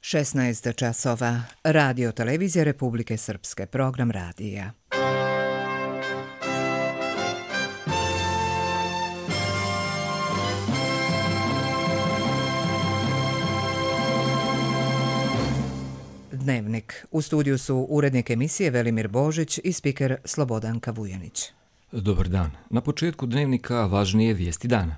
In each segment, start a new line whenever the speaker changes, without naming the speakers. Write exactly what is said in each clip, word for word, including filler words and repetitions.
šesnaest časova. Radio televizija Republike Srpske. Program radija. Dnevnik. U studiju su urednik emisije Velimir Božić i spiker Slobodanka Vujanić.
Dobar dan. Na početku dnevnika važnije vijesti dana.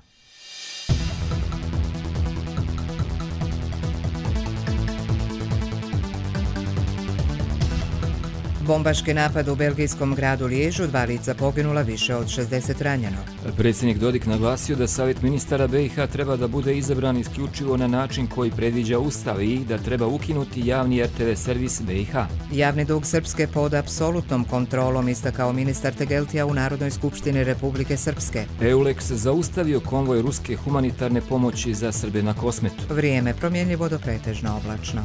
Bombaški napad u belgijskom gradu Liježu, dva lica poginula, više od šezdeset ranjeno.
Predsjednik Dodik naglasio da Savjet ministara B i H treba da bude izabran isključivo na način koji predviđa Ustav i da treba ukinuti javni R T V servis B i H.
Javni dug Srpske pod apsolutnom kontrolom, istakao ministar Tegeltija u Narodnoj skupštini Republike Srpske.
Eulex zaustavio konvoj ruske humanitarne pomoći za Srbe na Kosmetu.
Vrijeme promjenljivo do pretežno oblačno.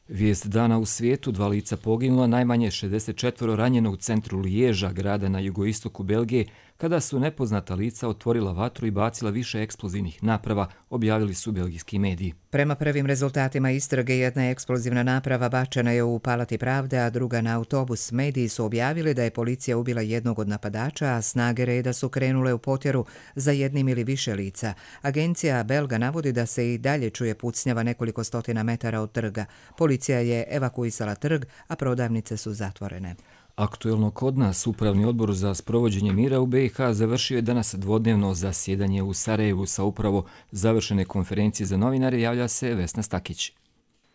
Vijest dana u svijetu, dva lica poginula, najmanje šezdeset četvoro ranjeno u centru Liježa, grada na jugoistoku Belgije, kada su nepoznata lica otvorila vatru i bacila više eksplozivnih naprava, objavili su belgijski mediji.
Prema prvim rezultatima istrage, jedna eksplozivna naprava bačena je u Palati pravde, a druga na autobus. Mediji su objavili da je policija ubila jednog od napadača, a snage reda su krenule u potjeru za jednim ili više lica. Agencija Belga navodi da se i dalje čuje pucnjava nekoliko stotina metara od trga. Policija je evakuisala trg, a prodavnice su zatvorene.
Aktuelno kod nas, Upravni odbor za sprovođenje mira u B i H završio je danas dvodnevno zasjedanje u Sarajevu. Sa upravo završene konferencije za novinare javlja se Vesna Stakić.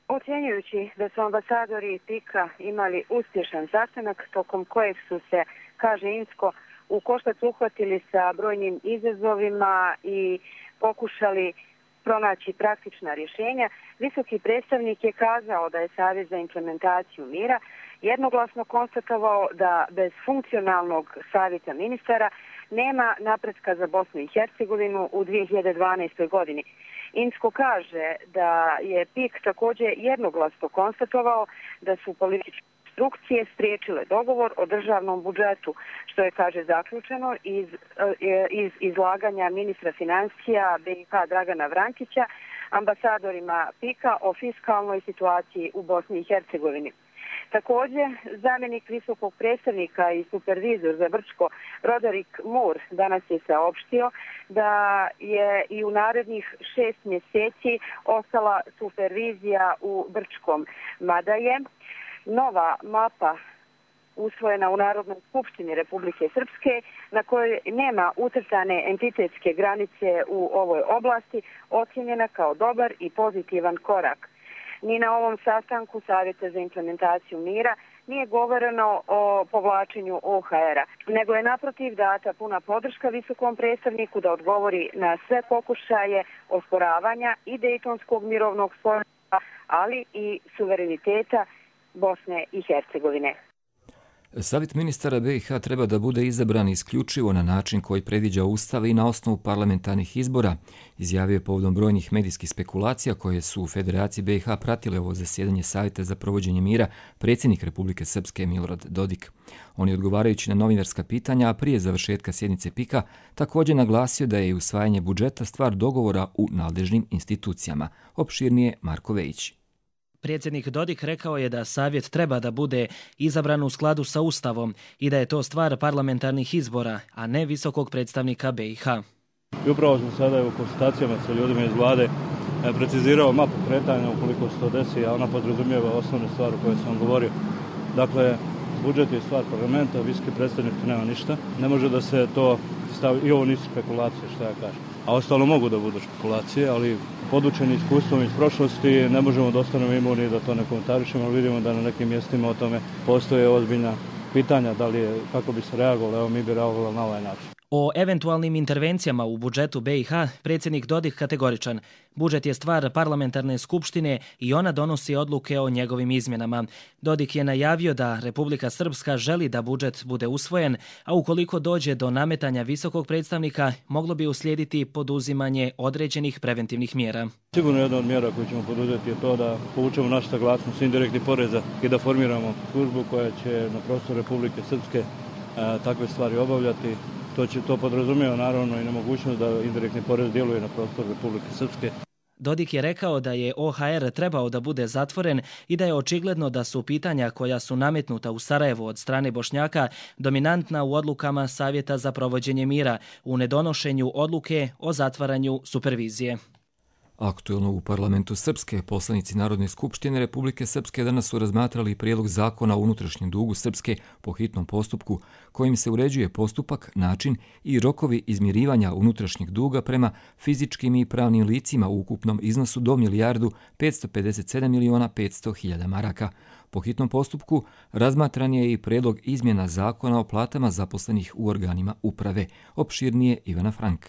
Ocjenjujući da su ambasadori PIK-a imali uspješan sastanak tokom kojeg su se, kaže Insko, u koštac uhvatili sa brojnim izazovima i pokušali pronaći praktična rješenja, visoki predstavnik je kazao da je Savjet za implementaciju mira jednoglasno konstatovao da bez funkcionalnog savjeta ministara nema napretka za Bosnu i Hercegovinu u dvije hiljade dvanaestoj. godini. Insko kaže da je PIK također jednoglasno konstatovao da su političke instrukcije spriječile dogovor o državnom budžetu, što je, kaže, zaključeno iz, iz izlaganja ministra financija B i H Dragana Vrankića ambasadorima PIK-a o fiskalnoj situaciji u Bosni i Hercegovini. Također, zamjenik visokog predstavnika i supervizor za Brčko Roderick Moore danas je saopštio da je i u narednih šest mjeseci ostala supervizija u Brčkom, mada je nova mapa usvojena u Narodnoj skupštini Republike Srpske, na kojoj nema ucrtane entitetske granice u ovoj oblasti, ocjenjena kao dobar i pozitivan korak. Ni na ovom sastanku Savjeta za implementaciju mira nije govoreno o povlačenju O H R-a, nego je naprotiv data puna podrška visokom predstavniku da odgovori na sve pokušaje osporavanja i Dejtonskog mirovnog sporazuma, ali i suvereniteta Bosne i Hercegovine.
Savjet ministara B i H treba da bude izabran isključivo na način koji predviđa Ustav i na osnovu parlamentarnih izbora, izjavio je povodom brojnih medijskih spekulacija koje su u Federaciji B i H pratile ovo zasjedanje Savjeta za provođenje mira predsjednik Republike Srpske Milorad Dodik. On je, odgovarajući na novinarska pitanja, a prije završetka sjednice PIK-a, također naglasio da je usvajanje budžeta stvar dogovora u nadležnim institucijama. Opširnije Marko Vejić.
Predsjednik Dodik rekao je da savjet treba da bude izabran u skladu sa Ustavom i da je to stvar parlamentarnih izbora, a ne visokog predstavnika B i H.
I upravo sam sada u konsultacijama sa ljudima iz vlade precizirao mapu kretanja ukoliko se to desi, a ona podrazumijeva osnovne stvari koje sam govorio. Dakle, budžet je stvar parlamenta, visoki predstavnik nema ništa. Ne može da se to stavi, i ovo nisu spekulacije, što ja kažem. A ostalo mogu da budu špekulacije, ali podučeni iskustvom iz prošlosti ne možemo da ostanemo imuni da to ne komentarišemo, ali vidimo da na nekim mjestima o tome postoje ozbiljna pitanja, da li je, kako bi se reagovalo, evo mi bi reagovali na ovaj način.
O eventualnim intervencijama u budžetu B i H predsjednik Dodik kategoričan. Budžet je stvar parlamentarne skupštine i ona donosi odluke o njegovim izmjenama. Dodik je najavio da Republika Srpska želi da budžet bude usvojen, a ukoliko dođe do nametanja visokog predstavnika, moglo bi uslijediti poduzimanje određenih preventivnih mjera.
Sigurno jedna od mjera koju ćemo poduzeti je to da povučemo našu saglasnost indirektnih poreza i da formiramo službu koja će na prostoru Republike Srpske takve stvari obavljati. To će to podrazumijeva naravno i nemogućnost da indirektni porez djeluje na prostoru Republike Srpske.
Dodik je rekao da je O H R trebao da bude zatvoren i da je očigledno da su pitanja koja su nametnuta u Sarajevu od strane Bošnjaka dominantna u odlukama Savjeta za provođenje mira u nedonošenju odluke o zatvaranju supervizije.
Aktuelno u parlamentu Srpske, poslanici Narodne skupštine Republike Srpske danas su razmatrali prijedlog zakona o unutrašnjem dugu Srpske po hitnom postupku, kojim se uređuje postupak, način i rokovi izmirivanja unutrašnjeg duga prema fizičkim i pravnim licima u ukupnom iznosu do milijardu petsto pedeset sedam miliona petsto hiljada maraka. Po hitnom postupku razmatran je i prijedlog izmjena zakona o platama zaposlenih u organima uprave. Opširnije Ivana Frank.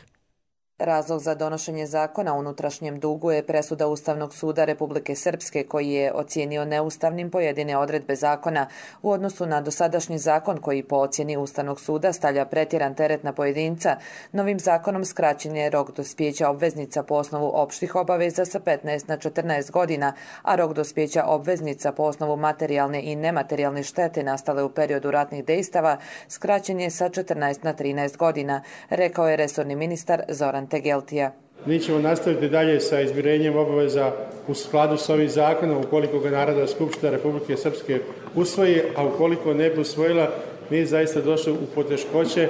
Razlog za donošenje zakona o unutrašnjem dugu je presuda Ustavnog suda Republike Srpske koji je ocijenio neustavnim pojedine odredbe zakona u odnosu na dosadašnji zakon koji po ocjeni Ustavnog suda stavlja pretjeran teret na pojedinca. Novim zakonom skraćen je rok dospijeća obveznica po osnovu opštih obaveza sa petnaest na četrnaest godina, a rok dospijeća obveznica po osnovu materijalne i nematerijalne štete nastale u periodu ratnih dejstava skraćen je sa četrnaest na trinaest godina, rekao je resorni ministar Zoran Tegeltija.
Mi ćemo nastaviti dalje sa izmirenjem obaveza u skladu s ovim zakonom ukoliko ga Narodna skupština Republike Srpske usvoji, a ukoliko ne bi usvojila, mi zaista došli u poteškoće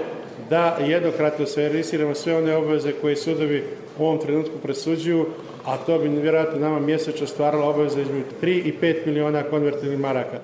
da jednokratno servisiramo sve one obaveze koje sudovi u ovom trenutku presuđuju, a to bi vjerojatno nama mjesečno stvaralo obaveze između tri i pet miliona konvertibilnih maraka.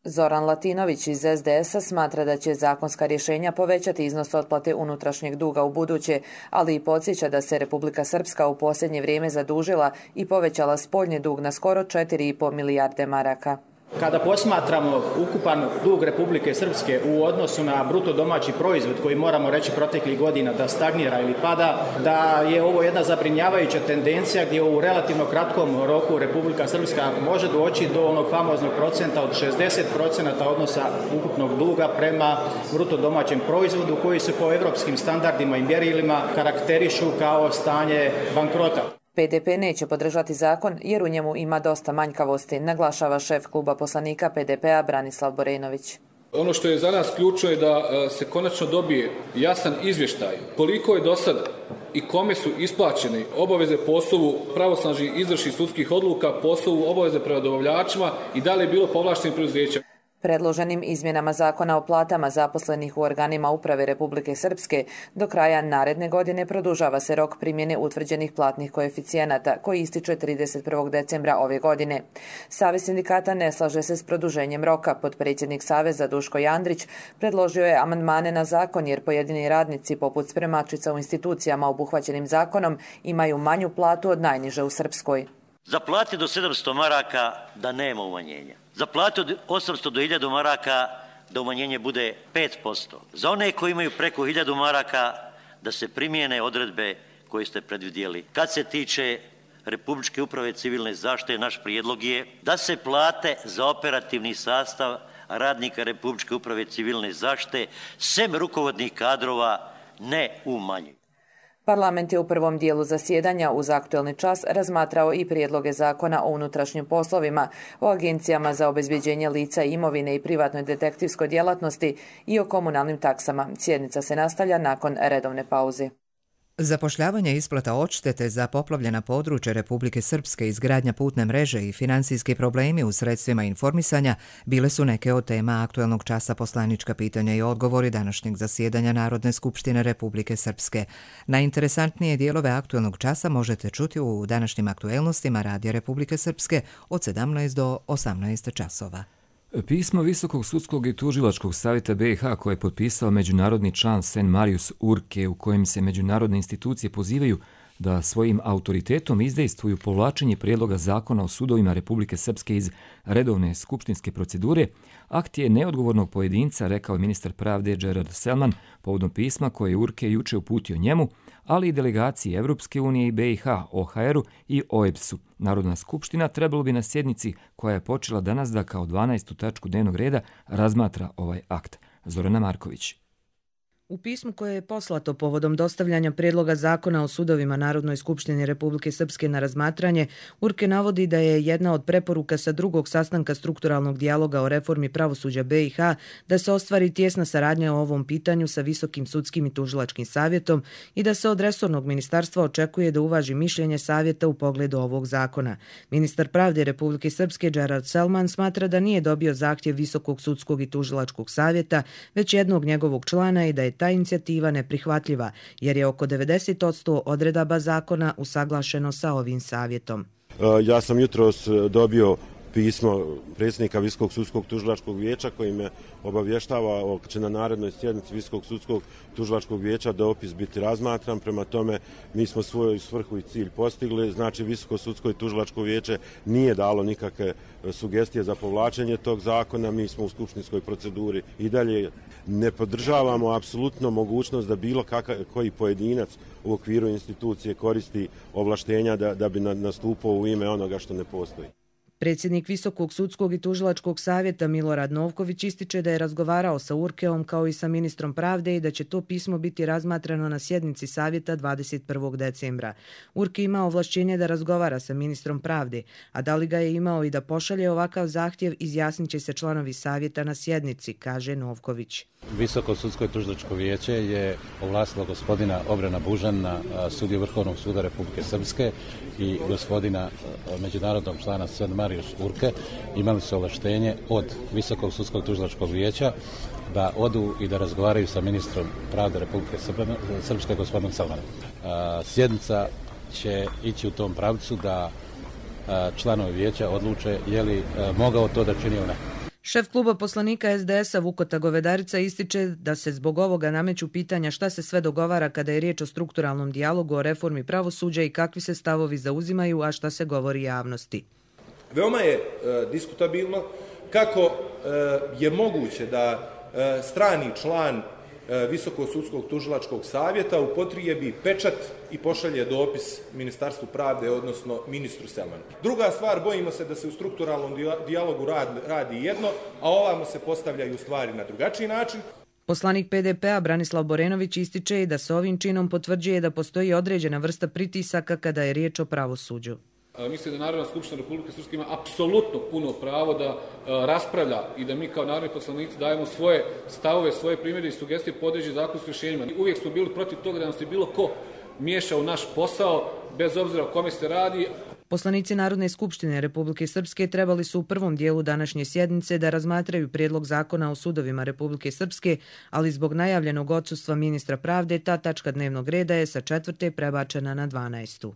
Zoran Latinović iz S D S-a smatra da će zakonska rješenja povećati iznos otplate unutrašnjeg duga u buduće, ali i podsjeća da se Republika Srpska u posljednje vrijeme zadužila i povećala spoljni dug na skoro četiri i pol milijarde maraka.
Kada posmatramo ukupan dug Republike Srpske u odnosu na bruto domaći proizvod koji moramo reći proteklih godina da stagnira ili pada, da je ovo jedna zabrinjavajuća tendencija gdje u relativno kratkom roku Republika Srpska može doći do onog famoznog procenta od šezdeset procenta odnosa ukupnog duga prema bruto domaćem proizvodu koji se po evropskim standardima i mjerilima karakterišu kao stanje bankrota.
P D P neće podržati zakon jer u njemu ima dosta manjkavosti, naglašava šef kluba poslanika P D P-a Branislav Borenović.
Ono što je za nas ključno je da se konačno dobije jasan izvještaj koliko je do sada i kome su isplaćene obaveze po osnovu pravosnažnih izvršnih sudskih odluka, po osnovu obaveze prema dobavljačima i da li je bilo povlaštenih preduzeća.
Predloženim izmjenama zakona o platama zaposlenih u organima uprave Republike Srpske do kraja naredne godine produžava se rok primjene utvrđenih platnih koeficijenata koji ističe trideset prvog decembra ove godine. Savez sindikata ne slaže se s produženjem roka. Potpredsjednik Saveza Duško Jandrić predložio je amandmane na zakon jer pojedini radnici poput spremačica u institucijama obuhvaćenim zakonom imaju manju platu od najniže u Srpskoj.
Za plate do sedamsto maraka da nema umanjenja. Za plate od osamsto do hiljadu maraka da umanjenje bude pet posto. Za one koji imaju preko hiljadu maraka da se primijene odredbe koje ste predvidjeli. Kad se tiče Republičke uprave civilne zaštite, naš prijedlog je da se plate za operativni sastav radnika Republičke uprave civilne zaštite sem rukovodnih kadrova ne umanjuju.
Parlament je u prvom dijelu zasjedanja uz aktuelni čas razmatrao i prijedloge zakona o unutrašnjim poslovima, o agencijama za obezbeđenje lica i imovine i privatnoj detektivskoj djelatnosti i o komunalnim taksama. Sjednica se nastavlja nakon redovne pauze.
Zapošljavanje isplata odštete za poplavljena područja Republike Srpske, izgradnja putne mreže i financijski problemi u sredstvima informisanja bile su neke od tema aktuelnog časa poslanička pitanja i odgovori današnjeg zasjedanja Narodne skupštine Republike Srpske. Najinteresantnije dijelove aktuelnog časa možete čuti u današnjim aktuelnostima Radija Republike Srpske od sedamnaest do osamnaest časova.
Pismo Visokog sudskog i tužilačkog savjeta B i H koje je potpisao međunarodni član Sen Marius Urke, u kojem se međunarodne institucije pozivaju da svojim autoritetom izdejstvuju povlačenje prijedloga zakona o sudovima Republike Srpske iz redovne skupštinske procedure, akt je neodgovornog pojedinca, rekao je ministar pravde Gerard Selman povodom pisma koje je Urke juče uputio njemu, ali i delegaciji Evropske unije i B i H, O H R-u i O E B S-u. Narodna skupština trebalo bi na sjednici koja je počela danas da kao dvanaestu tačku dnevnog reda razmatra ovaj akt. Zorana Marković.
U pismu koje je poslato povodom dostavljanja prijedloga zakona o sudovima Narodnoj skupštini Republike Srpske na razmatranje, U R K E navodi da je jedna od preporuka sa drugog sastanka strukturalnog dijaloga o reformi pravosuđa B i H da se ostvari tjesna saradnja o ovom pitanju sa Visokim sudskim i tužilačkim savjetom i da se od resornog ministarstva očekuje da uvaži mišljenje savjeta u pogledu ovog zakona. Ministar pravde Republike Srpske Džerard Selman smatra da nije dobio zahtjev Visokog sudskog i tužilačkog savjeta, već jednog njegovog člana i da je ta inicijativa neprihvatljiva, jer je oko devedeset posto odredaba zakona usaglašeno sa ovim savjetom.
Ja sam jutros dobio pismo predsjednika Visokog sudskog tužilačkog vijeća koji me obavještava da će na narednoj sjednici Visokog sudskog tužilačkog vijeća dopis biti razmatran. Prema tome mi smo svoju svrhu i cilj postigli. Znači Visoko sudsko i tužilačko vijeće nije dalo nikakve sugestije za povlačenje tog zakona. Mi smo u skupštinskoj proceduri i dalje ne podržavamo apsolutno mogućnost da bilo kakav, koji pojedinac u okviru institucije koristi ovlaštenja da, da bi nastupao u ime onoga što ne postoji.
Predsjednik Visokog sudskog i tužilačkog savjeta Milorad Novković ističe da je razgovarao sa U R K E-om kao i sa ministrom pravde i da će to pismo biti razmatrano na sjednici savjeta dvadeset prvog decembra. U R K E ima ovlašćenje da razgovara sa ministrom pravde, a da li ga je imao i da pošalje ovakav zahtjev izjasnit će se članovi savjeta na sjednici, kaže Novković.
Visoko sudsko i tužilačko vijeće je ovlastilo gospodina Obrena Bužana, sudiju Vrhovnog suda Republike Srpske i gospodina međunarodnog člana Sven Marijuš U R K E. Imali su ovlaštenje od Visokog sudskog tužilačkog vijeća da odu i da razgovaraju sa ministrom pravde Republike Srpske, gospodinom Selmanom. Sjednica će ići u tom pravcu da članovi vijeća odluče je li mogao to da čini ili ne.
Šef kluba poslanika S D S-a Vukota Govedarica ističe da se zbog ovoga nameću pitanja šta se sve dogovara kada je riječ o strukturalnom dijalogu o reformi pravosuđa i kakvi se stavovi zauzimaju, a šta se govori javnosti.
Veoma je e, diskutabilno kako e, je moguće da e, strani član Visokog sudskog tužilačkog savjeta upotrijebi pečat i pošalje dopis Ministarstvu pravde, odnosno ministru Selmanu. Druga stvar, bojimo se da se u strukturalnom dijalogu radi jedno, a ovamo se postavljaju stvari na drugačiji način.
Poslanik P D P-a Branislav Borenović ističe i da se ovim činom potvrđuje da postoji određena vrsta pritisaka kada je riječ o pravosuđu.
Mislim da Narodna skupština Republike Srpske ima apsolutno puno pravo da raspravlja i da mi kao narodni poslanici dajemo svoje stavove, svoje primjere i sugestije po određenim zakonskim rješenjima. Uvijek smo bili protiv toga da nam se bilo ko miješa u naš posao, bez obzira o kome se radi.
Poslanici Narodne skupštine Republike Srpske trebali su u prvom dijelu današnje sjednice da razmatraju prijedlog zakona o sudovima Republike Srpske, ali zbog najavljenog odsustva ministra pravde ta tačka dnevnog reda je sa četvrte prebačena na dvanaestu.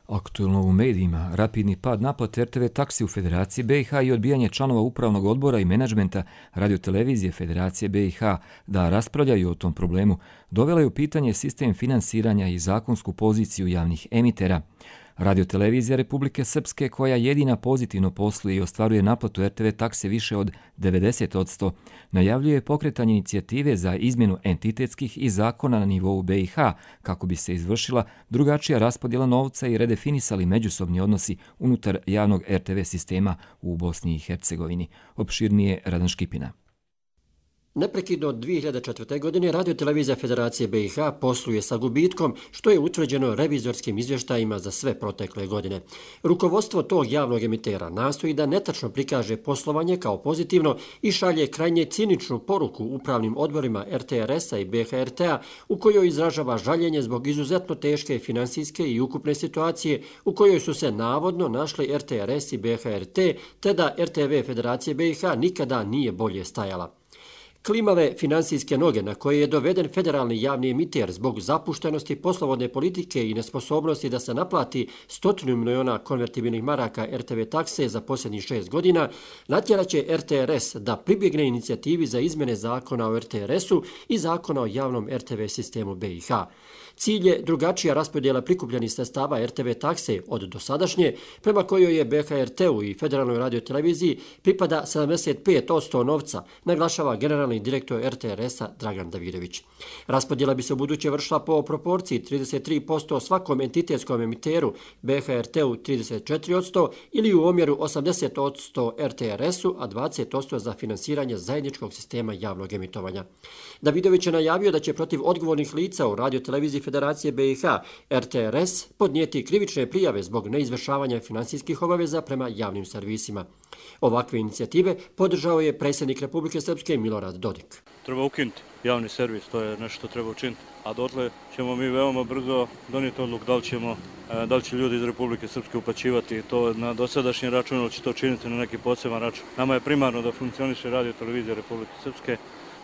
Aktuelno u medijima, rapidni pad naplate R T V taksi u Federaciji B i H i odbijanje članova upravnog odbora i menadžmenta radiotelevizije Federacije B i H da raspravljaju o tom problemu, dovela je u pitanje sistem finansiranja i zakonsku poziciju javnih emitera. Radiotelevizija Republike Srpske, koja jedina pozitivno posluje i ostvaruje naplatu R T V takse više od devedeset posto, najavljuje pokretanje inicijative za izmjenu entitetskih i zakona na nivou B i H kako bi se izvršila drugačija raspodjela novca i redefinisali međusobni odnosi unutar javnog R T V sistema u Bosni i Hercegovini. Opširnije Radan Škipina.
Neprekidno od dvije hiljade četvrte. godine radiotelevizija Federacije B i H posluje sa gubitkom, što je utvrđeno revizorskim izvještajima za sve protekle godine. Rukovodstvo tog javnog emitera nastoji da netačno prikaže poslovanje kao pozitivno i šalje krajnje ciničnu poruku upravnim odborima R T R S-a i B H R T-a u kojoj izražava žaljenje zbog izuzetno teške finansijske i ukupne situacije u kojoj su se navodno našli R T R S i B H R T, te da R T V Federacije B i H nikada nije bolje stajala. Klimave finansijske noge na koje je doveden federalni javni emiter zbog zapuštenosti poslovodne politike i nesposobnosti da se naplati stotinu miliona konvertibilnih maraka R T V takse za posljednjih šest godina, natjeraće R T R S da pribjegne inicijativi za izmjene zakona o R T R S-u i zakona o javnom R T V sistemu B i H. Cilj je drugačija raspodjela prikupljenih sredstava R T V takse od dosadašnje, prema kojoj je B H R T-u i Federalnoj radioteleviziji pripada sedamdeset pet posto novca, naglašava generalni generalni direktor R T R S-a Dragan Davidović. Raspodjela bi se u buduće vršila po proporciji trideset tri posto svakom entitetskom emiteru, B H R T-u trideset četiri posto ili u omjeru osamdeset posto R T R S-u, a dvadeset posto za finansiranje zajedničkog sistema javnog emitovanja. Davidović je najavio da će protiv odgovornih lica u radioteleviziji Federacije B i H R T R S podnijeti krivične prijave zbog neizvršavanja finansijskih obaveza prema javnim servisima. Ovakve inicijative podržao je predsjednik Republike Srpske Milorad Dodik.
Treba ukinuti javni servis, to je nešto što treba učiniti. A dotle ćemo mi veoma brzo donijeti odluku da li ćemo, da li će ljudi iz Republike Srpske uplaćivati to na dosadašnji račun ili će to činiti na neki poseban račun. Nama je primarno da funkcioniše radio televizija Republike Srpske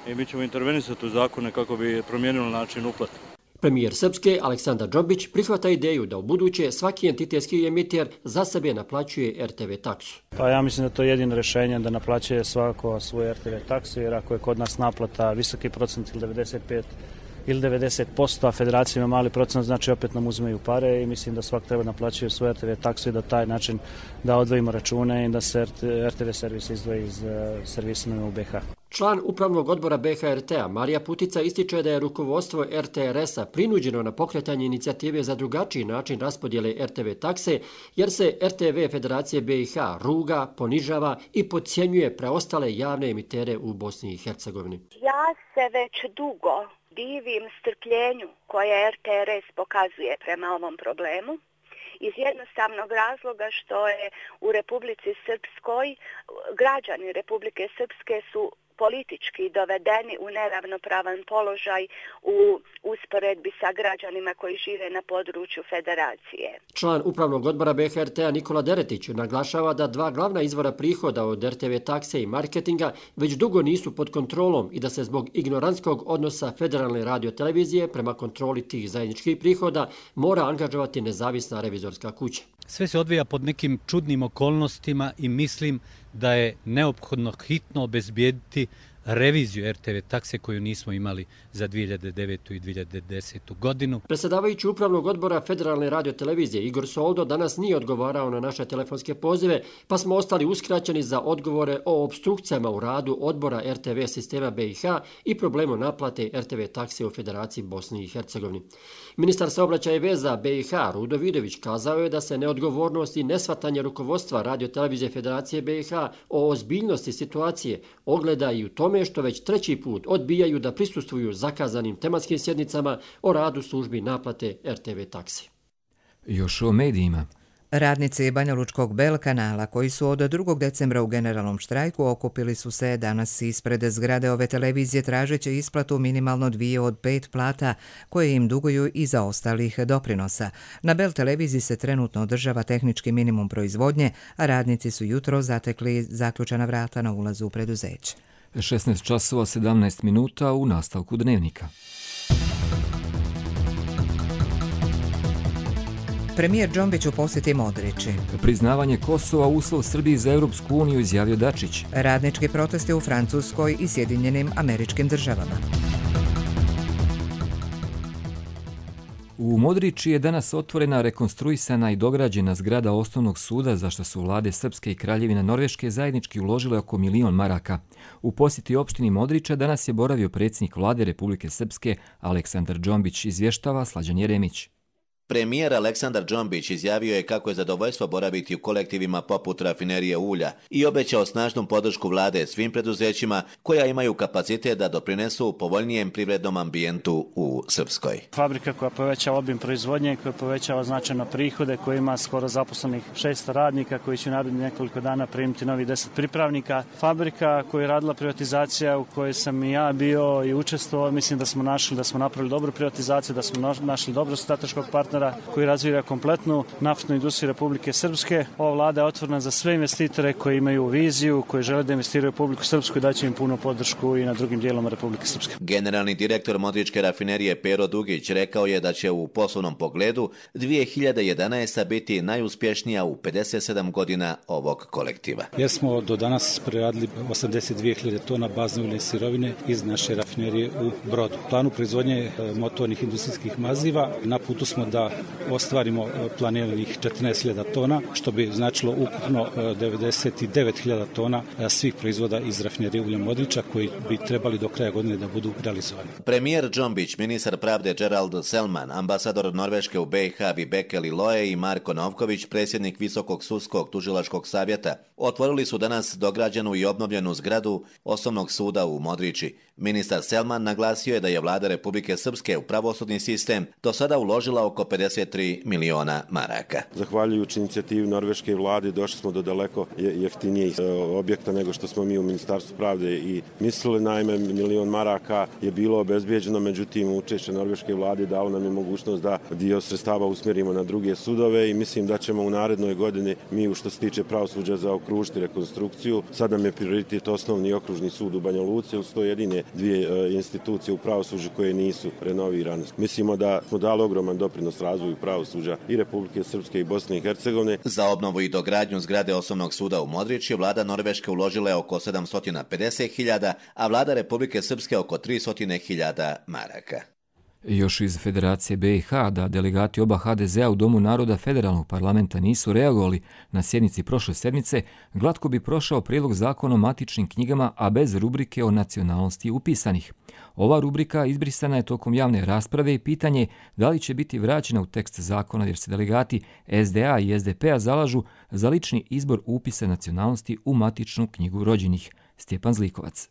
i mi ćemo intervenisati u zakone kako bi promijenilo način uplate.
Premijer Srpske Aleksandar Džombić prihvata ideju da u buduće svaki entitetski emiter za sebe naplaćuje R T V taksu.
Pa ja mislim da to je jedino rješenje da naplaćuje svako svoju R T V taksu, jer ako je kod nas naplata visoki procent ili devedeset pet ili devedeset posto, a federacija ima mali procent, znači opet nam uzmeju pare i mislim da svak treba naplaćuje svoju R T V taksu i da taj način da odvojimo račune i da se R T V servis izdvoji iz servisima u B H.
Član upravnog odbora B H R T-a Marija Putica ističe da je rukovodstvo R T R S-a prinuđeno na pokretanje inicijative za drugačiji način raspodjele R T V takse, jer se R T V Federacije B i H ruga, ponižava i podcjenjuje preostale javne emitere u Bosni i Hercegovini.
Ja se već dugo divim strpljenju koje R T R S pokazuje prema ovom problemu, iz jednostavnog razloga što je u Republici Srpskoj, građani Republike Srpske su politički dovedeni u neravnopravan položaj u usporedbi sa građanima koji žive na području federacije.
Član upravnog odbora B H R T-a Nikola Deretić naglašava da dva glavna izvora prihoda od R T V takse i marketinga već dugo nisu pod kontrolom i da se zbog ignorantskog odnosa Federalne radiotelevizije prema kontroli tih zajedničkih prihoda mora angažovati nezavisna revizorska kuća.
Sve se odvija pod nekim čudnim okolnostima i mislim da je neophodno hitno obezbijediti reviziju R T V takse koju nismo imali za dvije hiljade devetu i dvije hiljade desetu godinu.
Predsjedavajući upravnog odbora Federalne radiotelevizije Igor Soldo danas nije odgovarao na naše telefonske pozive, pa smo ostali uskraćeni za odgovore o obstrukcijama u radu odbora R T V sistema B i H i problemu naplate R T V takse u Federaciji Bosni i Hercegovini. Ministar saobraćaja i veza B i H Rudo Vidović kazao je da se neodgovornost i nesvatanje rukovodstva radiotelevizije Federacije B i H o ozbiljnosti situacije ogleda i u tome što već treći put odbijaju da prisustvuju zakazanim tematskim sjednicama o radu službi naplate R T V taksi.
Još o medijima.
Radnici Banjalučkog Bel kanala koji su od drugog decembra u generalnom štrajku okupili su se danas ispred zgrade ove televizije tražeći isplatu minimalno dvije od pet plata koje im duguju iza ostalih doprinosa. Na Bel televiziji se trenutno održava tehnički minimum proizvodnje, a radnici su jutro zatekli zaključana vrata na ulazu u preduzeće.
šesnaest časova sedamnaest minuta u nastavku dnevnika.
Premijer Džombić u posjeti Modrići.
Priznavanje Kosova uslov Srbiji za Europsku uniju, izjavio Dačić.
Radnički protesti u Francuskoj i Sjedinjenim Američkim Državama.
U Modrići je danas otvorena, rekonstruisana i dograđena zgrada osnovnog suda, za što su vlade Srpske i Kraljevina Norveške zajednički uložile oko milion maraka. U posjeti opštini Modrića danas je boravio predsjednik vlade Republike Srpske Aleksandar Džombić, izvještava Slađan Jeremić.
Premijer Aleksandar Džombić izjavio je kako je zadovoljstvo boraviti u kolektivima poput rafinerije ulja i obećao snažnu podršku vlade svim preduzećima koja imaju kapacitet da doprinesu povoljnijem privrednom ambijentu u Srpskoj.
Fabrika koja povećava obim proizvodnje, koja povećava značajno prihode, koja ima skoro zaposlenih šesto radnika koji će narednih nekoliko dana primiti novi deset pripravnika. Fabrika koja je radila privatizacija u kojoj sam i ja bio i učestvovao, mislim da smo našli da smo napravili dobru privatizaciju, da smo našli dobro strateškog partnera koji razvija kompletnu naftnu industriju Republike Srpske. Ova vlada je otvorena za sve investitore koji imaju viziju, koji žele da investiraju u Republiku Srpsku i daće im punu podršku i na drugim dijelama Republike Srpske.
Generalni direktor Modričke rafinerije Pero Dugić rekao je da će u poslovnom pogledu dvije hiljade jedanaesta. biti najuspješnija u pedeset sedam godina ovog kolektiva.
Jer smo do danas preradili osamdeset dvije hiljade tona bazne uljne sirovine iz naše rafinerije u Brodu. Planu proizvodnje motornih industrijskih maziva na putu smo da ostvarimo planiranih četrnaest hiljada tona, što bi značilo ukupno devedeset devet hiljada tona svih proizvoda iz rafinerije ulja Modrića koji bi trebali do kraja godine da budu realizovani.
Premijer Džombić, ministar pravde Gerald Selman, ambasador Norveške u B i H Vibeke Liloje i Marko Novković, predsjednik Visokog sudskog tužilačkog savjeta, otvorili su danas dograđenu i obnovljenu zgradu Osnovnog suda u Modrići. Ministar Selman naglasio je da je vlada Republike Srpske u pravosudni sistem do sada uložila oko pedeset tri miliona maraka.
Zahvaljujući inicijativi norveške vlade došli smo do daleko jeftinijih objekta nego što smo mi u Ministarstvu pravde i mislili. Naime, milion maraka je bilo obezbijeđeno, međutim učešće norveške vlade dalo nam je mogućnost da dio sredstava usmjerimo na druge sudove i mislim da ćemo u narednoj godini mi u što se tiče pravosuđa zaokružiti rekonstrukciju. Sad nam je prioritet osnovni okružni sud u Banja Luci, uz to jedine dvije institucije u pravosuđu koje nisu renovirane. Mislimo da smo dali ogroman doprinos razvoju pravosuđa i Republike Srpske i Bosne i Hercegovine.
Za obnovu i dogradnju zgrade Osnovnog suda u Modrići vlada Norveške uložila je oko sedamsto pedeset hiljada, a vlada Republike Srpske oko tristo hiljada maraka.
Još iz Federacije B i H da delegati oba H D Z-a u Domu naroda federalnog parlamenta nisu reagovali na sjednici prošle sedmice, glatko bi prošao prijedlog zakona o matičnim knjigama, a bez rubrike o nacionalnosti upisanih. Ova rubrika izbrisana je tokom javne rasprave i pitanje da li će biti vraćena u tekst zakona jer se delegati S D A i S D P-a zalažu za lični izbor upisa nacionalnosti u matičnu knjigu rođenih. Stjepan Zlikovac.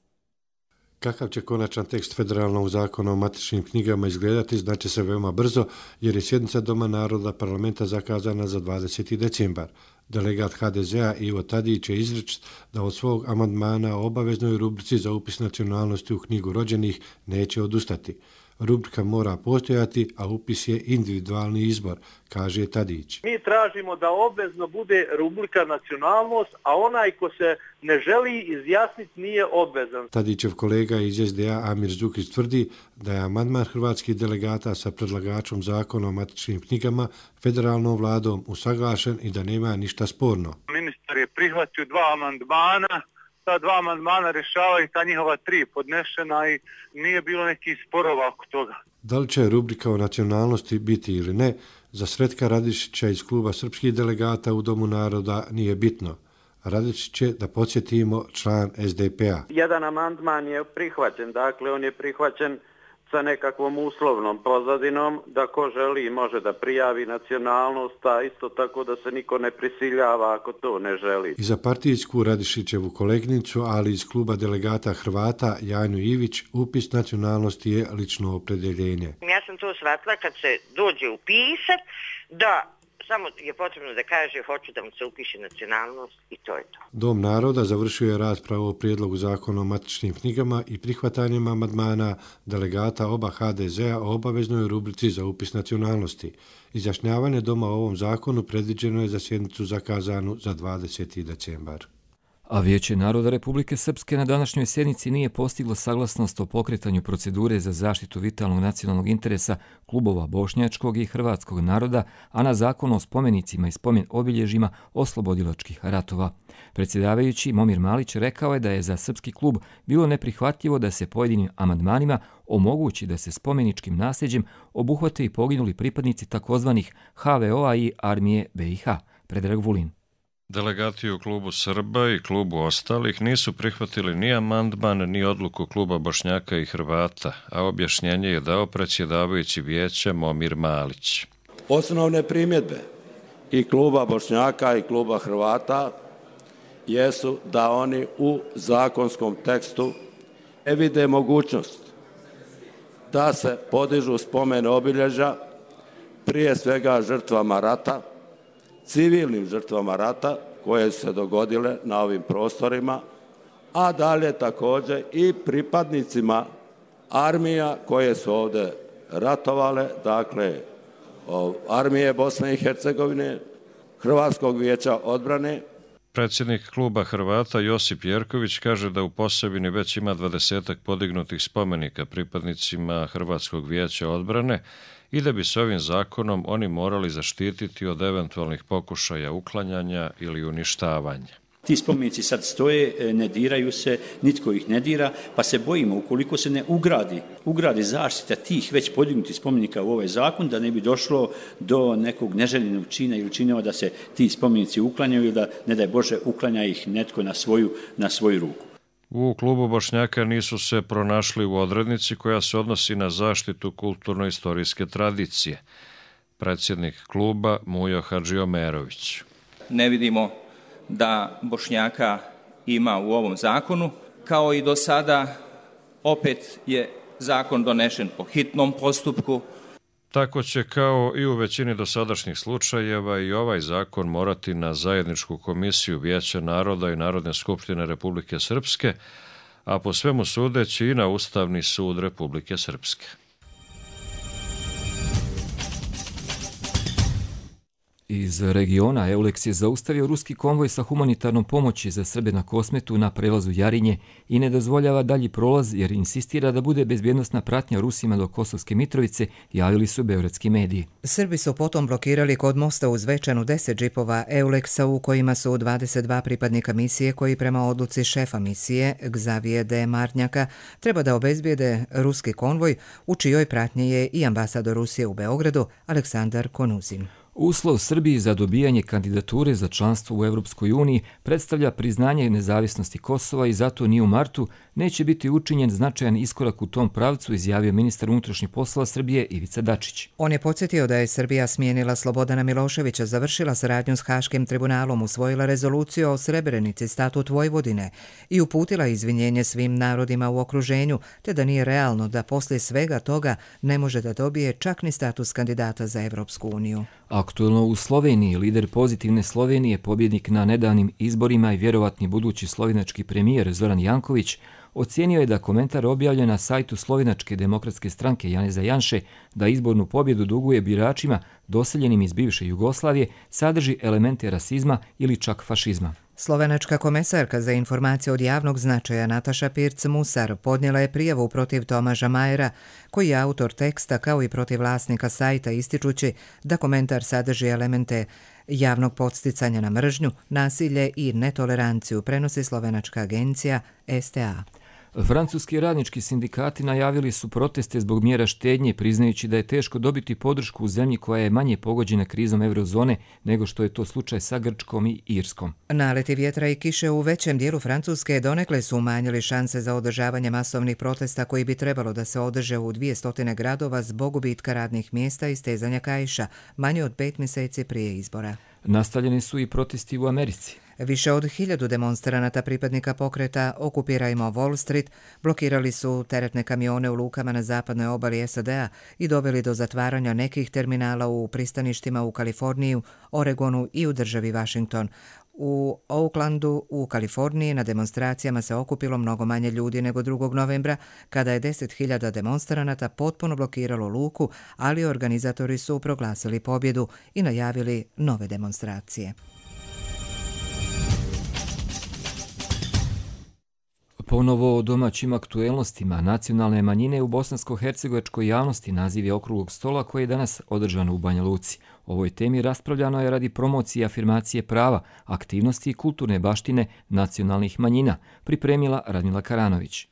Kakav će konačan tekst federalnog zakona o matičnim knjigama izgledati, znači se veoma brzo, jer je sjednica Doma naroda parlamenta zakazana za dvadeseti decembar. Delegat H D Z-a Ivo Tadić je izričit da od svog amandmana o obaveznoj rubrici za upis nacionalnosti u knjigu rođenih neće odustati. Rubrika mora postojati, a upis je individualni izbor, kaže Tadić.
Mi tražimo da obvezno bude rubrika nacionalnost, a onaj ko se ne želi izjasniti nije obvezan.
Tadićev kolega iz S D A Amir Zukić tvrdi da je amandman hrvatskih delegata sa predlagačom zakona o matičnim knjigama federalnom vladom usaglašen i da nema ništa sporno.
Ministar je prihvatio dva amandmana. Ta dva amandmana rješavaju ta njihova tri podnešena i nije bilo nekih sporova oko toga.
Da li će rubrika o nacionalnosti biti ili ne, za Sretka Radišića iz kluba srpskih delegata u Domu naroda nije bitno. Radišić je, da podsjetimo, član S D P-a.
Jedan amandman je prihvaćen, dakle on je prihvaćen sa nekakvom uslovnom pozadinom da ko želi može da prijavi nacionalnost, a isto tako da se niko ne prisiljava ako to ne želi.
I za partijsku Radišićevu kolegnicu, ali iz kluba delegata Hrvata Janju Ivić, upis nacionalnosti je lično opredjeljenje.
Ja sam to shvatila kad se dođe upisat da samo je potrebno da kaže hoću da mu se upiše nacionalnost i to je to.
Dom naroda završio je raspravu o prijedlogu zakona o matičnim knjigama i prihvatanjem amandmana delegata oba H D Z-a o obaveznoj rubrici za upis nacionalnosti. Izjašnjavanje doma o ovom zakonu predviđeno je za sjednicu zakazanu za dvadeseti decembar.
A Vijeće naroda Republike Srpske na današnjoj sjednici nije postiglo saglasnost o pokretanju procedure za zaštitu vitalnog nacionalnog interesa klubova bošnjačkog i hrvatskog naroda, a na zakon o spomenicima i spomen obilježjima oslobodilačkih ratova. Predsjedavajući Momir Malić rekao je da je za srpski klub bilo neprihvatljivo da se pojedinim amandmanima omogući da se spomeničkim nasljeđem obuhvate i poginuli pripadnici takozvanih H V O-a i armije B i H. Predrag Vulin.
Delegati u klubu Srba i klubu ostalih nisu prihvatili ni amandman ni odluku kluba Bošnjaka i Hrvata, a objašnjenje je dao predsjedavajući vijeća Momir Malić.
Osnovne primjedbe i kluba Bošnjaka i kluba Hrvata jesu da oni u zakonskom tekstu ne vide mogućnost da se podižu spomen obilježja prije svega žrtvama rata, civilnim žrtvama rata koje su se dogodile na ovim prostorima, a dalje također i pripadnicima armija koje su ovdje ratovale, dakle armije Bosne i Hercegovine, Hrvatskog vijeća odbrane.
Predsjednik kluba Hrvata Josip Jerković kaže da u Posavini već ima dvadesetak podignutih spomenika pripadnicima Hrvatskog vijeća odbrane i da bi s ovim zakonom oni morali zaštititi od eventualnih pokušaja uklanjanja ili uništavanja.
Ti spomenici sad stoje, ne diraju se, nitko ih ne dira, pa se bojimo ukoliko se ne ugradi, ugradi zaštita tih već podignutih spomenika u ovaj zakon, da ne bi došlo do nekog neželjenog čina ili činova da se ti spomenici uklanjaju ili da, ne daj Bože, uklanja ih netko na svoju, na svoju ruku.
U klubu Bošnjaka nisu se pronašli u odrednici koja se odnosi na zaštitu kulturno-istorijske tradicije. Predsjednik kluba Mujo Hadžiomerović.
Ne vidimo da Bošnjaka ima u ovom zakonu, kao i do sada opet je zakon donešen po hitnom postupku.
Tako će kao i u većini dosadašnjih slučajeva i ovaj zakon morati na zajedničku komisiju Vijeća naroda i Narodne skupštine Republike Srpske, a po svemu sudeći i na Ustavni sud Republike Srpske.
Iz regiona Eulex je zaustavio ruski konvoj sa humanitarnom pomoći za Srbe na Kosmetu na prelazu Jarinje i ne dozvoljava dalji prolaz jer insistira da bude bezbjednosna pratnja Rusima do Kosovske Mitrovice, javili su beogradski mediji.
Srbi su potom blokirali kod mosta uz Zvečanu deset džipova Eulexa u kojima su dvadeset dva pripadnika misije koji prema odluci šefa misije Gzavije de Marnjaka treba da obezbijede ruski konvoj u čijoj pratnji je i ambasador Rusije u Beogradu Aleksandar Konuzin.
Uslov Srbiji za dobijanje kandidature za članstvo u Evropskoj uniji predstavlja priznanje nezavisnosti Kosova i zato ni u martu neće biti učinjen značajan iskorak u tom pravcu, izjavio ministar unutrašnjih poslova Srbije Ivica Dačić.
On je podsjetio da je Srbija smijenila Slobodana Miloševića, završila saradnju s Haškim tribunalom, usvojila rezoluciju o Srebrenici, statut Vojvodine i uputila izvinjenje svim narodima u okruženju, te da nije realno da poslije svega toga ne može da dobije čak ni status kandidata za Evropsku uniju.
Aktuelno u Sloveniji, lider Pozitivne Slovenije, pobjednik na nedavnim izborima i vjerovatni budući slovenački premijer Zoran Janković, ocijenio je da komentar objavljen na sajtu Slovenačke demokratske stranke Janeza Janše da izbornu pobjedu duguje biračima doseljenim iz bivše Jugoslavije sadrži elemente rasizma ili čak fašizma.
Slovenačka komesarka za informacije od javnog značaja Nataša Pirc-Musar podnijela je prijavu protiv Tomaža Majera, koji je autor teksta, kao i protiv vlasnika sajta, ističući da komentar sadrži elemente javnog podsticanja na mržnju, nasilje i netoleranciju, prenosi slovenačka agencija S T A.
Francuski radnički sindikati najavili su proteste zbog mjera štednje, priznajući da je teško dobiti podršku u zemlji koja je manje pogođena krizom eurozone nego što je to slučaj sa Grčkom i Irskom.
Naleti vjetra i kiše u većem dijelu Francuske donekle su umanjili šanse za održavanje masovnih protesta koji bi trebalo da se održe u dvije stotine gradova zbog gubitka radnih mjesta i stezanja kaiša, manje od pet mjeseci prije izbora.
Nastavljeni su i protesti u Americi.
Više od hiljadu demonstranata pripadnika pokreta Okupirajmo Wall Street blokirali su teretne kamione u lukama na zapadnoj obali S A D-a i doveli do zatvaranja nekih terminala u pristaništima u Kaliforniji, Oregonu i u državi Washington. U Oaklandu u Kaliforniji na demonstracijama se okupilo mnogo manje ljudi nego drugog novembra, kada je deset hiljada demonstranata potpuno blokiralo luku, ali organizatori su proglasili pobjedu i najavili nove demonstracije.
Ponovo o domaćim aktuelnostima nacionalne manjine u bosansko-hercegovačkoj javnosti naziv je okruglog stola koji je danas održan u Banja Luci. O ovoj temi raspravljano je radi promocije i afirmacije prava, aktivnosti i kulturne baštine nacionalnih manjina, pripremila Radmila Karanović.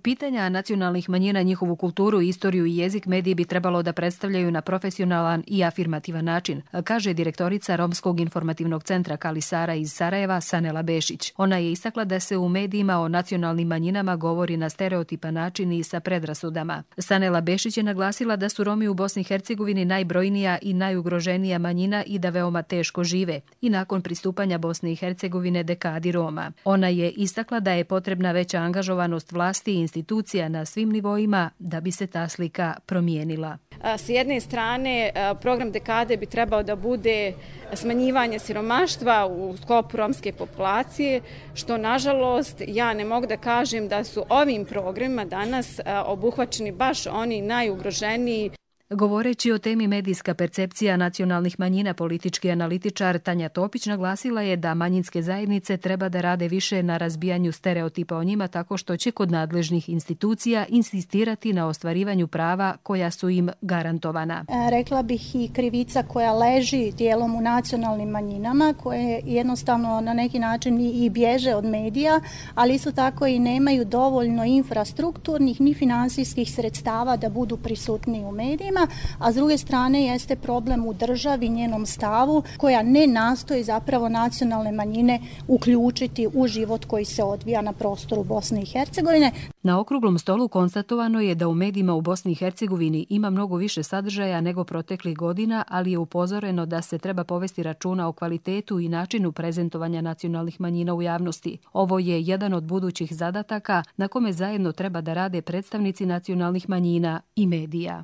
Pitanja nacionalnih manjina, njihovu kulturu, istoriju i jezik mediji bi trebalo da predstavljaju na profesionalan i afirmativan način, kaže direktorica Romskog informativnog centra Kalisara iz Sarajeva Sanela Bešić. Ona je istakla da se u medijima o nacionalnim manjinama govori na stereotipan način i sa predrasudama. Sanela Bešić je naglasila da su Romi u Bosni i Hercegovini najbrojnija i najugroženija manjina i da veoma teško žive i nakon pristupanja Bosne i Hercegovine dekadi Roma. Ona je istakla da je potrebna veća angažovanost vlasti i institucija na svim nivoima da bi se ta slika promijenila.
S jedne strane, program dekade bi trebao da bude smanjivanje siromaštva u sklopu romske populacije, što nažalost ja ne mogu da kažem da su ovim programima danas obuhvaćeni baš oni najugroženiji.
Govoreći o temi medijska percepcija nacionalnih manjina, politički analitičar Tanja Topić naglasila je da manjinske zajednice treba da rade više na razbijanju stereotipa o njima tako što će kod nadležnih institucija insistirati na ostvarivanju prava koja su im garantovana.
Rekla bih i krivica koja leži dijelom u nacionalnim manjinama, koje jednostavno na neki način i bježe od medija, ali isto tako i nemaju dovoljno infrastrukturnih ni finansijskih sredstava da budu prisutni u medijima. A s druge strane jeste problem u državi, njenom stavu, koja ne nastoji zapravo nacionalne manjine uključiti u život koji se odvija na prostoru Bosne i Hercegovine.
Na okruglom stolu konstatovano je da u medijima u Bosni i Hercegovini ima mnogo više sadržaja nego proteklih godina, ali je upozoreno da se treba povesti računa o kvalitetu i načinu prezentovanja nacionalnih manjina u javnosti. Ovo je jedan od budućih zadataka na kome zajedno treba da rade predstavnici nacionalnih manjina i medija.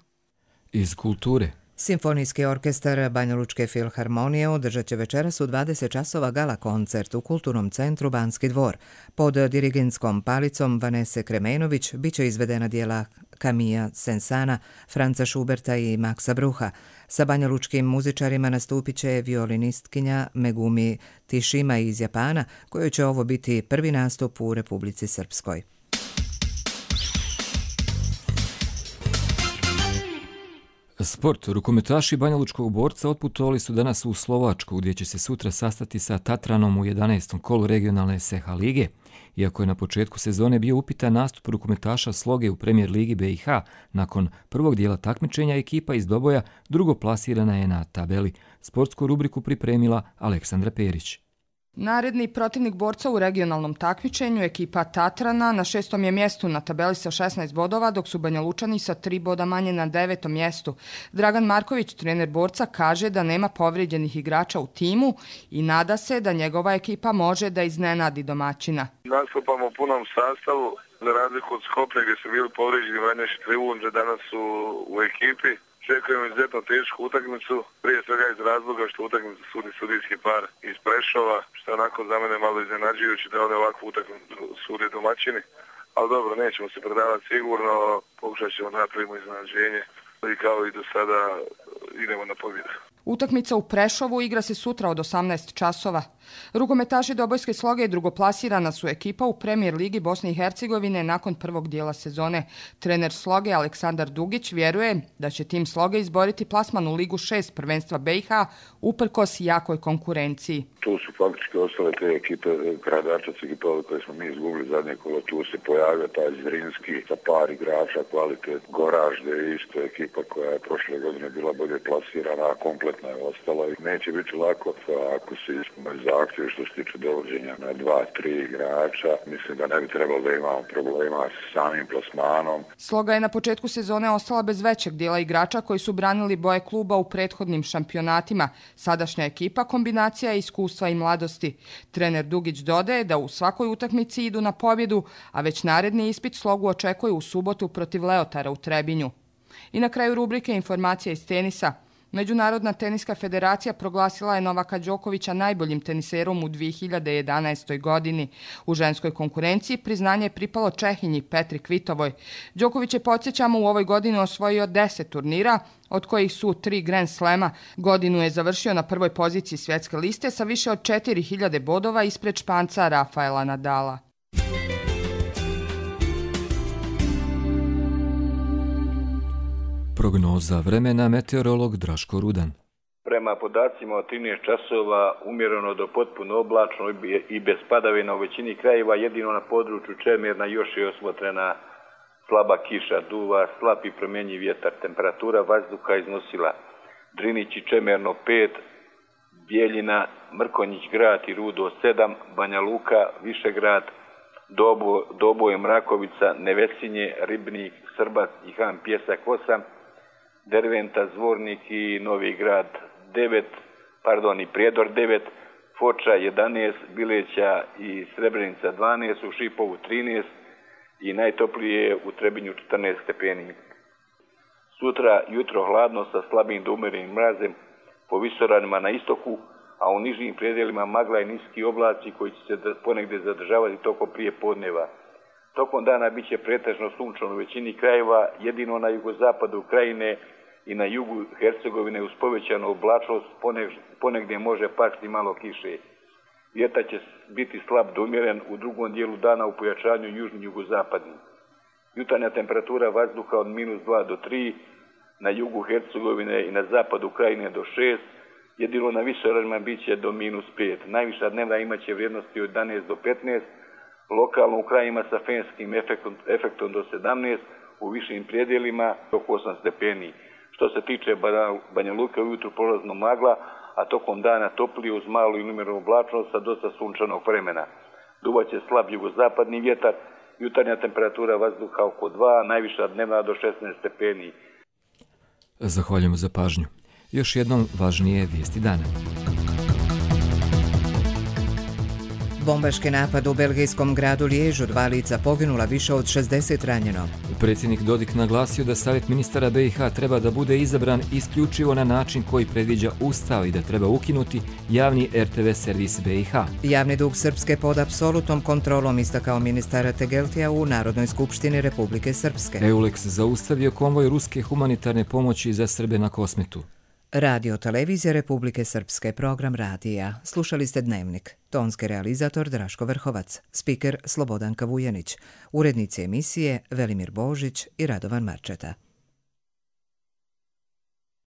Iz kulture.
Simfonijski orkestar Banjalučke filharmonije održat će večeras u dvadeset časova gala koncert u Kulturnom centru Banski dvor. Pod dirigentskom palicom Vanese Kremenović bit će izvedena dijela Camilla Sensana, Franca Schuberta i Maxa Brucha. Sa banjalučkim muzičarima nastupit će violinistkinja Megumi Tišima iz Japana, kojoj će ovo biti prvi nastup u Republici Srpskoj.
Sport. Rukometaši Banjalučkog borca otputovali su danas u Slovačku, gdje će se sutra sastati sa Tatranom u jedanaestom kolu regionalne S H lige. Iako je na početku sezone bio upitan nastup rukometaša Sloge u Premijer ligi B i H, nakon prvog dijela takmičenja ekipa iz Doboja drugo plasirana je na tabeli. Sportsku rubriku pripremila Aleksandra Perić.
Naredni protivnik borca u regionalnom takmičenju, ekipa Tatrana, na šestom je mjestu na tabeli sa šesnaest bodova, dok su Banjalučani sa tri boda manje na devetom mjestu. Dragan Marković, trener borca, kaže da nema povrijeđenih igrača u timu i nada se da njegova ekipa može da iznenadi domaćina.
Nastupamo u punom sastavu, za razliku od Skoplja gdje su bili povrijeđeni Vanješi Trivunđe, danas su u ekipi. Očekujemo izuzetno tešku utakmicu, prije svega iz razloga što utakmicu sudi sudijski par iz Prešova, što je onako za mene malo iznenađujući da one ovakvu utakmicu sude domaćini. Ali dobro, nećemo se predavati sigurno, pokušat ćemo napravimo iznenađenje i kao i do sada idemo na pobjedu.
Utakmica u Prešovu igra se sutra od osamnaest časova. Rukometaši Dobojske Sloge drugoplasirana su ekipa u Premijer ligi Bosne i Hercegovine nakon prvog dijela sezone. Trener Sloge Aleksandar Dugić vjeruje da će tim Sloge izboriti plasman u Ligu šest prvenstva B i H uprkos jakoj konkurenciji.
Tu su faktički ostale te ekipe, Gradačac ekipa koje smo mi izgubili zadnje kolo, tu se pojavio taj Zrinski sa par igrača, kvalitet, Goražde isto ekipa koja je prošle godine bila bolje plasirana, a kompletna je ostala i neće biti lako ako se ispunaju zahtjevi što se tiče dovođenja na dva, tri igrača. Mislim da ne bi trebalo da imamo problema s samim plasmanom.
Sloga je na početku sezone ostala bez većeg dijela igrača koji su branili boje kluba u prethodnim šampionatima. Sadašnja ekipa kombinacija iskustva i mladosti. Trener Dugić dodaje da u svakoj utakmici idu na pobjedu, a već naredni ispit Slogu očekuje u subotu protiv Leotara u Trebinju. I na kraju rubrike informacija iz tenisa. Međunarodna teniska federacija proglasila je Novaka Đokovića najboljim teniserom u dvije hiljade jedanaestoj godini. U ženskoj konkurenciji priznanje je pripalo Čehinji Petri Kvitovoj. Đoković je, podsjećamo, u ovoj godini osvojio deset turnira, od kojih su tri Grand Slema. Godinu je završio na prvoj poziciji svjetske liste sa više od četiri hiljade bodova ispred Španca Rafaela Nadala.
Prognoza vremena, meteorolog Draško Rudan.
Prema podacima od trinaest časova umjereno do potpuno oblačno i bez padavina u većini krajeva, jedino na području Čemerna još je osmotrena slaba kiša, duva, slab i promjenjiv vjetar. Temperatura vazduha iznosila Drinić i Čemerno pet, Bijeljina, Mrkonjić grad i Rudo sedam, Banja Luka, Višegrad, Dobo, Doboje, Mrakovica, Nevesinje, Ribnik, Srbac i Han Pjesak osam, Derventa, Zvornik i Novi Grad devet, pardon i Prijedor devet, Foča jedanaest, Bileća i Srebrenica dvanaest, u Šipovu trinaest i najtoplije u Trebinju četrnaest stepeni. Sutra jutro hladno sa slabim do umerenim mrazem po visoravnima na istoku, a u nižim predjelima magla i niski oblaci koji će se ponegdje zadržavati tokom prije podneva. Tokom dana bit će pretežno sunčano u većini krajeva, jedino na jugozapadu Krajine i na jugu Hercegovine uz povećanu oblačnost ponegdje može pasti malo kiše. Vjetar će biti slab do umjeren u drugom dijelu dana u pojačanju južni jugozapadni. Jutarnja temperatura vazduha od minus dva do tri, na jugu Hercegovine i na zapadu Krajine do šest, jedino na višeravnima bit će do minus pet. Najviša dnevna imaće vrijednosti od jedanaest do petnaest, lokalno u krajima sa fenskim efektom, efektom do sedamnaest, u višim predjelima oko osam stepeni. Što se tiče Banja Luke, ujutru prolazno magla, a tokom dana toplije uz malu i umjerenu oblačnost sa dosta sunčanog vremena. Duvaće slab jugozapadni vjetar, jutarnja temperatura vazduha oko dva, najviša dnevna do šesnaest stepeni.
Zahvaljujemo za pažnju. Još jednom važnije vijesti dana.
Bombaški napad u belgijskom gradu Liježu, dva lica poginula, više od šezdeset ranjeno.
Predsjednik Dodik naglasio da Savjet ministara B i H treba da bude izabran isključivo na način koji predviđa Ustav i da treba ukinuti javni R T V servis B i H.
Javni dug Srpske pod apsolutnom kontrolom, istakao ministar Tegeltija u Narodnoj skupštini Republike Srpske.
Eulex zaustavio konvoj ruske humanitarne pomoći za Srbe na Kosmetu.
Radio Televizija Republike Srpske, program radija. Slušali ste Dnevnik. Tonski realizator Draško Vrhovac, spiker Slobodanka Vujanić, urednici emisije Velimir Božić i Radovan Marčeta.